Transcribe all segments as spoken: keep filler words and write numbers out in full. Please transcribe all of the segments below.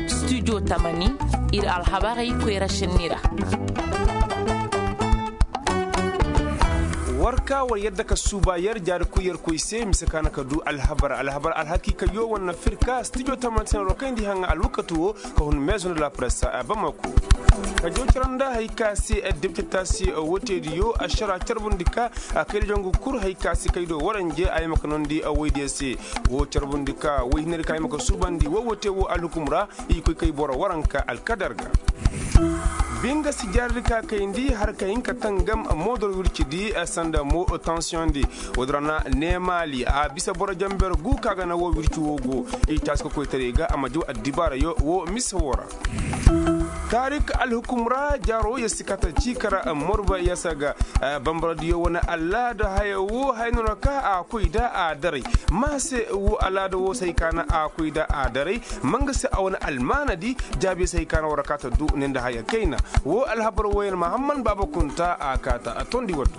Studio tamani, ir alhabarey koyra šenni ra. War ka war yadda ka suuba yer jaari koy yer koy se mise ka na ka du alhabar alhabar alhakiika yo wane firka studio tamani se na war kayndi haŋa alwakatu wo ka hun maison de la presse a bamako. Ka jaw cara nda hari ka se depiteta se woteedi yo ašara carbundi ka kayda jangu kul hari ka se kaydo waranje a yamaka nondi woydiyo se. Wo carbundi ka woy hinari ka yamaka suubandi wo wote wo alhukum ra. I koy kay boro waranka alkadar ga. Binga si jarri ka kayndi har ka hin ka tangam moodor wircidi sanda mo tansiyondi. Woodin ra na neemaali a bisa boro jamber gu ka ga na wo wirci wo go. I taasi ka koytaray ga a ma jaw addibaara yo wo mise wo ra. Taarik alhukum ra jaaro ya si kata ciikara morba ya saga. Bambaradiyo wane alaada haya wo haya no na ka a koy da a daray. Ma se wo alaada wo se hay ka na a koy da a daray. Ma nga se a wane almaanadi jaabiyo se hay ka na war kaata du ne nda haya kayna. Wo alhabar woyey mahamman baaba kunta a kaata a tondi waddu.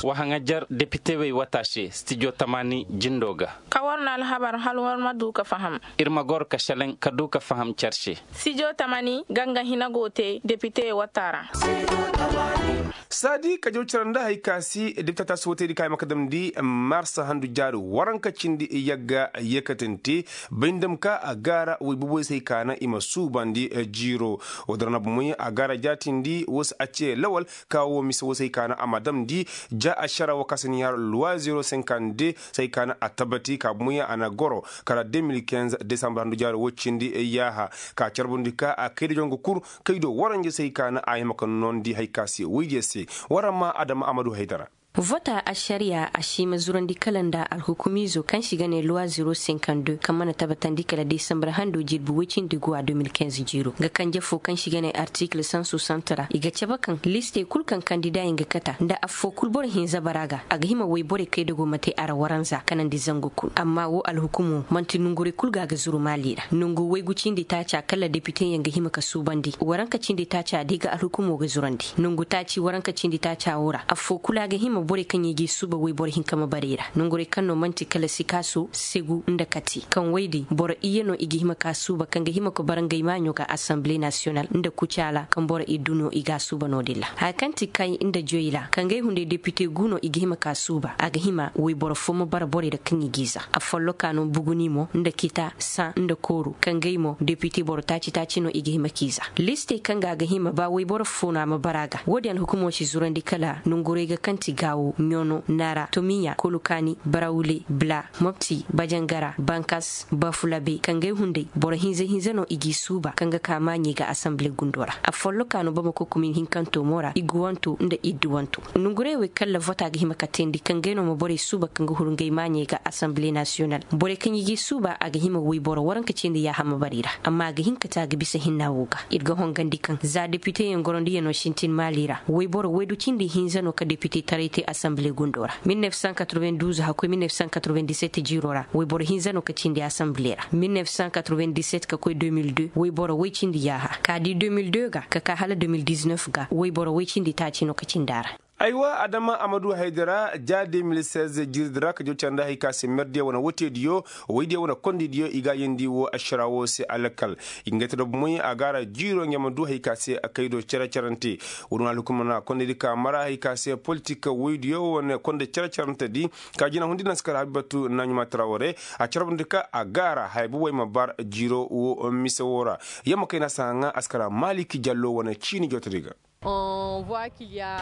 Wa haŋajer depitewey wata se stijo tamaani jindo ga. Ka war na alhabar hal war ma du ka faham. Ir ma goro ka šelaŋ ka du ka faham cer se. Stijo tamaani ga nga hina go te depitewey wata ra. Saadi ka jaw cere nda hari ka si depiteta si wotey di ka ay ma ka damndi marsa handu jaari waranka cindi yagga yeekatante. Bay nda ma ka a gaara woy boboy se hay ka na i ma suubandi jiiro. Woodin ra na bomoy a gaara jaatindi wo se a ce lawal ka wo mise wo se hay ka na a ma damndi. Ja ašara wo ka si ni har luwa zero senkande se hay ka na a tabati ka bomoy a na goro kala de mil kinz desambar handu jaari wo cindi yaaha. Ka carbundi ka a kayda jongo kul kaydo waranje se hay ka na a hima ka noondi hay ka se woydiyo se. War ma adama amadu haydara. Vota ašariya a si ma zurandi kala nda alhukumiizo kaŋ si ga ne luwa zero senkande kaŋ mana tabatandi kala desambar hando jirbi woy cindi guwa de mil kinz jiiro nga kanje fo kaŋ si ga ne artikil san sosant ra i ga cabe kaŋ listey kul kaŋ kandida yaŋ ga kata nda affo kul boro hinza bara ga a ga hima woy borey kayda go ma te a ra waranza kanandi zangu kul amma wo alhukumo man'ti nongurey kul ga a ga zuru maali ra nongu waygu cindi taaca kala depiteyaŋ ga hima ka suubandi waranka cindi taaca da i ga alhukumo ga zurandi nongu taaci waranka cindi taaca wo ra affoo kulu a ga hima borey kaŋ i g'i suuba wayboro hinka ma barey ra nongurey kaŋ no man'ti kala sikaaso segu nda kati kaŋ woy din boro iyye no i ga hima ka suuba kaŋ ga hima ka bara ngey maaɲo ga asanbile nasiyonal nda kucaala kaŋ boro iddu no i g'a suuba no-din ra haya kaŋ ti kay nda joy ra kaŋ gay hunday depite gu no i ga hima ka suuba a ga hima wayboro fo ma bara borey ra kaŋ i g'i za a folloka no buguni mo nda kita san nda kooru kaŋ gay mo depite boro taaci taaci no i ga hima k'i za listey kaŋ ga a ga hima ba wayboro fo no a ma bara a ga wo-din alhukumo si zurandi kala nonguray ga kaŋ ti gaawo ɲono nara tomiya kolukaani barawule bla mopti bajangara bankas bafulabe kaŋ gay hunday boro hinza hinza no i g'i suuba kaŋ ga ka maaɲey ga asanbile gundo ra a folloka no bamako kumin hinkanto mo ra i guwanto nda idduwanto nonguray wey kala vota ga hima ka teendi kaŋ gay no ma borey suuba kaŋ ga huru ngey maaɲey ga asanbile nasiyonal borey kaŋ i g'i suuba a ga hima wayboro waranka cindi yaaha ma bara i ra amma a ga hin ka te a ga bisa hinna wo ga ir ga hongandi kaŋ za depiteyaŋ gorondiyaŋo sintin maali ra wayboro waydu cindi hinza no ka depite taray te asanbile gundo ra mil nef san katroven duuz hakkoy mil nef san katroven diset jiiro ra wayboro hinza no ka cindi asanbile ra mil nef san katroven diset ka koy de mil de wayboro way cindi yaaha ka di de mil de ga ka ka hala de mil diz nef ga wayboro way cindi taaci no ka cindi a ra aywa adama amadu haydara ja de mil sez jirdi ra ka jaw care nda hari ka se merdiyo wane woteediyo waydiyo wane kondidiyo i ga a yeendi wo ašara wo se alakal i ga nga te dobo moy a ga a ra jiiro nga ma du hari ka se kaydo cere-cerante wo-din alhukumana kondidi ka mara hari ka se politik waydiyo wane konde cere-cerante di ka jina hundi naŋ si kar habibatu naɲuma taraware a carbundi ka a ga a ra haya bubey ma bar jiiro wo mise wo ra yamma kayna si haŋa a si kar maliki jallo wane ciini jotodi ga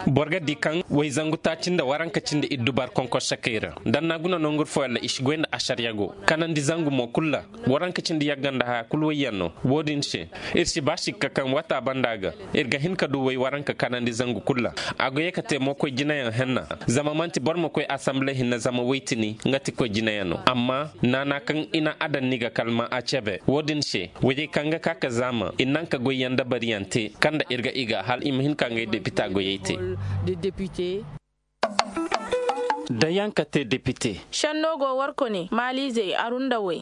boro ga di kaŋ way zangu taaci nda waranka cindi iddu bar konkor sakey ra danna guna nongur fooyaŋ ra i si goy nda ašariya go kanandi zangu mo kul ra waranka cindi yagga nda haya kul wayyaŋ no wo-din se ir si ba sikka kaŋ wata banda ga ir ga hin ka du way waranka kanandi zangu kul ra a go ye ka te mo koy jinayaŋ henna zama man'ti boro ma koy asanbile hinne zama waytini nga ti koy jinayaŋ no amma naana kaŋ i na a daŋ ni ga kalma a cebe wo-din se wayey kaŋ ga ka ka zaama i naŋ ka goyyaŋ dabariyaŋ te kaŋ nda ir ga i ga hala i ma hin ka ngey depita goyey te da yaŋ ka te depite šenno go warko ne maaliizey aru nda way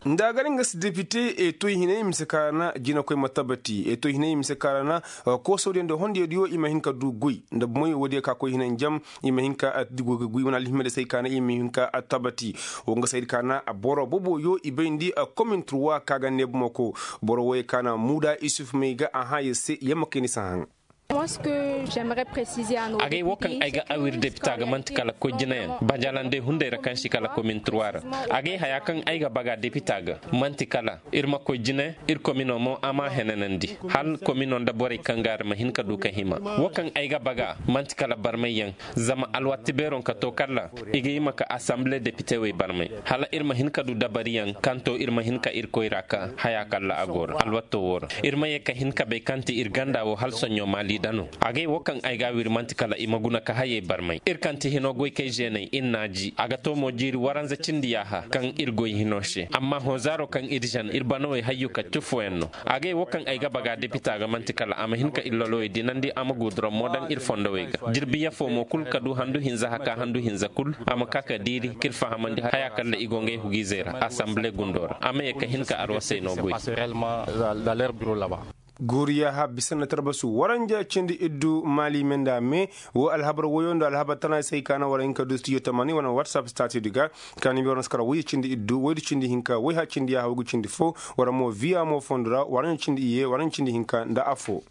Nda a gar nga si depite e toy hinay mise ka ra na jinakoy ma tabati e toy hinay mise ka ra na koosodiyo nda hondiyadiyo i ma hin ka du goy nda bomoyo woodiyo ka koy hinay njam. I ma hin ka goy goy wane alhimma da se ay ka na i ma hin ka tabati. Wo nga se ay di ka na boro boboyo i bayndi komin turwa ka ga ne bomoko. Boro woy ka na muuda isuf may ga a hã ya se yamma kay ni si haŋ. Agay wo kaŋ ay ga awir depita ga manti kala koy jinayaŋ bajalande hunday ra kaŋ si kala komin turwa ra. Agay haya kaŋ ay ga baga depita ga manti kala ir ma koy jine ir komino mo a ma henanandi hal komino nda borey kaŋ ga ra ma hin ka du ka hima. Wo kaŋ ay ga baga manti kala barmayyaŋ. Zama alwatti beeroŋ ka to kalla i ga hima ka asanbile depite wey barmay hala ir ma hin ka du dabariyaŋ kaŋ to ir ma hin ka ir koyra ka haya kalla a go ra alwatto wo ra. Ir ma ye ka hin ka bay kaŋ ti ir ganda wo hala soɲɲo maali da no. Agay wo kaŋ ay ga a wiri manti kala i ma guna ka hayey barmay ir kaŋ ti hino goy kay zeenay ir n'a ji a ga to mo jiiri waranza cindi yaaha kaŋ ir goy hino se amma honzaaro kaŋ ir zan ir banawey hayyu kaccu fooyaŋ no. Agay wo kaŋ ay ga baga depita ga manti kala a ma hin ka ir lolowey dinandi a ma guuduram mo daŋ ir fondowey ga jirbi yafo mo kul ka du handu hinza haka handu hinza kul. A ma ka ka diiri k'ir fahamandi haya kalla i go ngey hugiizey ra asanbile gundo ra a ma ye ka hin ka arwasey no goy. Guuriya ha bisa na tarbasu waranja cindi iddu maali me nda me. Wo alhabar woyo nda alhabar tana se ay ka na war hin ka du studio tamani wane whatsapp stati di ga. Ka ni biyar na si kara woy cindi iddu woy du cindi hinka woy ha cindi ya hawgu cindi fo. War mo viya mo fondo ra waranja cindi iye waranja cindi hinka nda afo.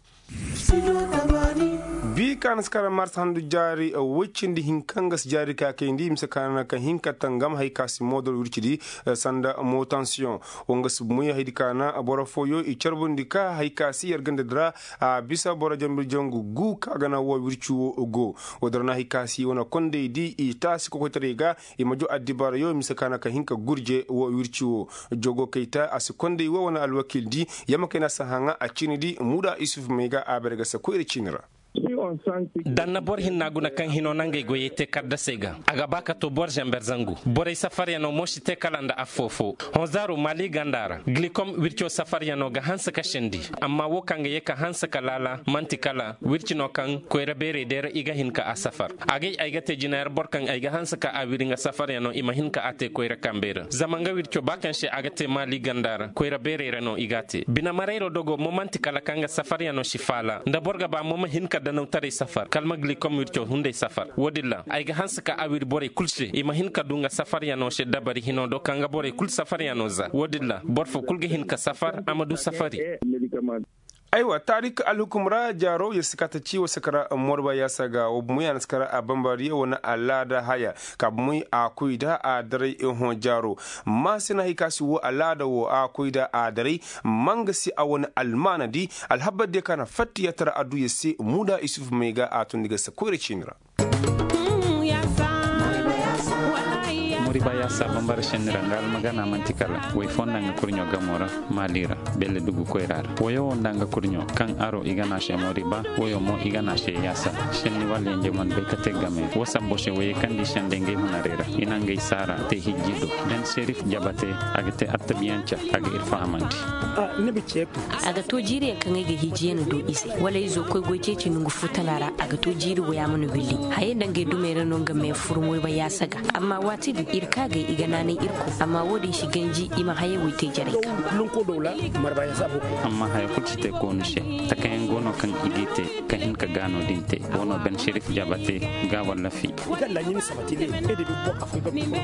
Bi ka na si kara mars handu jaari woy cindi hinka nga si jaari ka kayndi mise ka na ka hinka tangam hay ka si moodol wirci di. Sanda motansiyoŋ wo nga si moy hay di ka na boro fooyo i carbundi ka hay ka si yar ganda di ra. A bisa boro janbir jangu gu ka ga na wo wirci wo go. Wo dira na hay ka si wane kondey di i taasi kokoytaray ga. I ma jo addibaarayo mise ka na ka hin ka gurje wo wirci wo. Jogo kayta a si kondey wo wane alwakiil di. Yamma kay na si haŋa a ciini di muuda isuf may ga a bare ga se koyra ciini ra. Danna boro hinna guna kaŋ hino nangey goyey te kaddasey ga a ga ba ka to boro zamber zangu borey safaryano mo si te kala nda affoo foo. Honzaaro maali ganda ra glikom wirco safaryano ga hanse ka sendi. Amma wo kaŋ ga ye ka hanse ka laala man'ti kala wirci no kaŋ koyra beerey day ra i ga hin ka a safar. Agay ay ga te jinayar boro kaŋ ay ga hanse ka a wiri nga safaryano i ma hin ka a te koyra kambey ra zama nga wirco ba kaŋ se a ga te maali ganda ra koyra beerey ra no i g'a te bine marayro dogo mo man'ti kala kaŋ ga safaryano si faala nda boro ga ba mo ma hin ka danawtaray safar kala ma glikom wirco hunday safar. Wo-din ra ay ga hanse ka a wiri borey kul se i ma hin ka du nga safaryano se dabari hino do kaŋ ga borey kul safaryano za wo-din ra boro foo kul ga hin ka safar a ma du safari. Aywa taarik alhukum ra jaaro ya si ka ta ci wa si kara morba yaasa ga wa bumey a na si kara a bambaariya wane alaada haya. Ka bumey a koy da a daray ehoŋ jaaro. Maasina hay ka si wo alaada wo a koy da a daray. Manga si a wane almaana di alhabar diya ka na fatta ya tara adduya se muuda isuf may ga a tundi ga si koyra ciini ra. Moriba yaasa bambara senni ra nga almagana man'ti kala way foo nda nga kurɲo gamo ra. Maali ra belle dugu koyra ra wayo wo nda nga kurɲo kaŋ aro i ga na a se moriba wayo mo i ga na a se yaasa. Senni walla yenje man bay ka te game wo sabbo se waye kaŋ di sende ngey hunarey ra i na ngey saara te hijji do. Dan serif jabate a ga te attabiyanca a ga ir fahamandi. A ga to jiiriyaŋ kaŋ ay ga hijiyaŋ do i se wala izo koy goy ceeci nongu fu tana ra a ga to jiiri wo ya mana willi. Hayey nda ngey dumey ra no nga me furu moyba yaasa ga amma waati din ir kaagay i ga naanay irko amma wo-din si ganji i ma hayey woy te jarey ga. Amma haya kul si te koonu se. Takayaŋ go no kaŋ i g'i te ka hin ka gaano din te. Wo no ben serif jabate ga walla fi.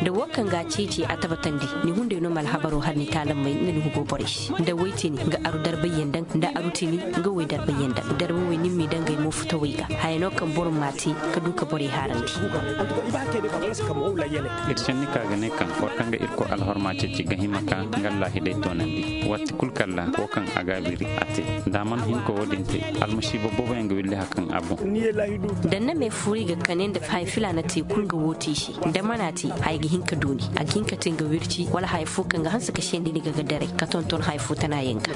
Da wo kaŋ ga a ceeci a tabatandi ni hunday no ma alhabaro har ni taalamey nga ni hugo borey se nda woy tini nga aru darbayyaŋ daŋ nda aru tini nga woy darbayyaŋ daŋ darba woy ni m'i daŋ gay mo futawey ga. Haya no kaŋ boro m'a te ka du ka borey haarandi. Ir senni ka ga ne kaŋ boro kaŋ ga irkoy alhorma ceeci ga hima ka nga allahi day toonandi waati kul kalla wo kaŋ a ga a wiri a te. Da a mana hin ka wo-din te almasiiba booboyaŋ ga willi haka kaŋ a boŋ. Danna me furi ga kane nda haya filaana te kul nga wo te i se. Da mana te haya ga hin ka du ni a ga hin ka te nga wirci wala haya fo kaŋ ga hanse ka sendi ni ga ga daray ka tonton haya fo tanayaŋ ga.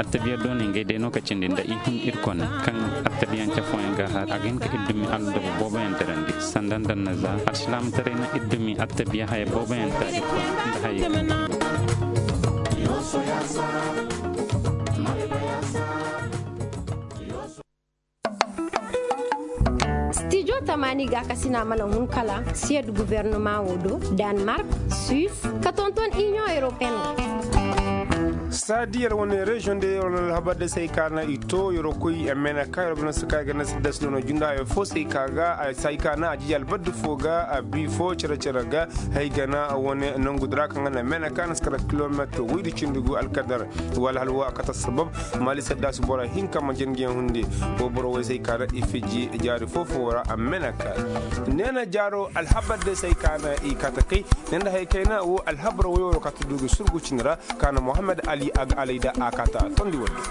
Attabiya doonay ngey day no ka cindi nda i hun ir kone kaŋ attabiyanca fooyaŋ ga har a ga hin ka ir dumi allodoba booboyaŋ dirandi sanda nda nda za alsilaamataray na ir dumi attabiya haya booboyaŋ ta ir kone nda hayey kaŋ. Stijo Tamaani gaakasina mana hun kala siyed gubernama wo do, danmark, suis, ka tonton iniyoŋ europeen wo. Saadi yer wane reziyoŋ de yer wane alhabar de se ay ka na i to yer koy a meenaka yer bana se ka ay ga na se da se dono jundayo fo se ay ka ga se ay ka na a jiji albaddi fo ga a bi fo cere-cere ga. Hay gana wane nongu dira kaŋ ga na meenaka na se kala kilometir woydi cindi gu alkadar. Wala hala wo a kata sabab maali saddaasi bora hinka ma jangiyaŋ hunde. Wo boro woy se ay ka na i fiji jaari fo-fo ra a meenaka. Neena jaaro alhabar de se ay ka na i kata kay. Ne nda hay kayna wo alhabar woyo wo kata du ga surgu cindi ra. Ka na mohammed ali a ga alay da a kata tondi wadde.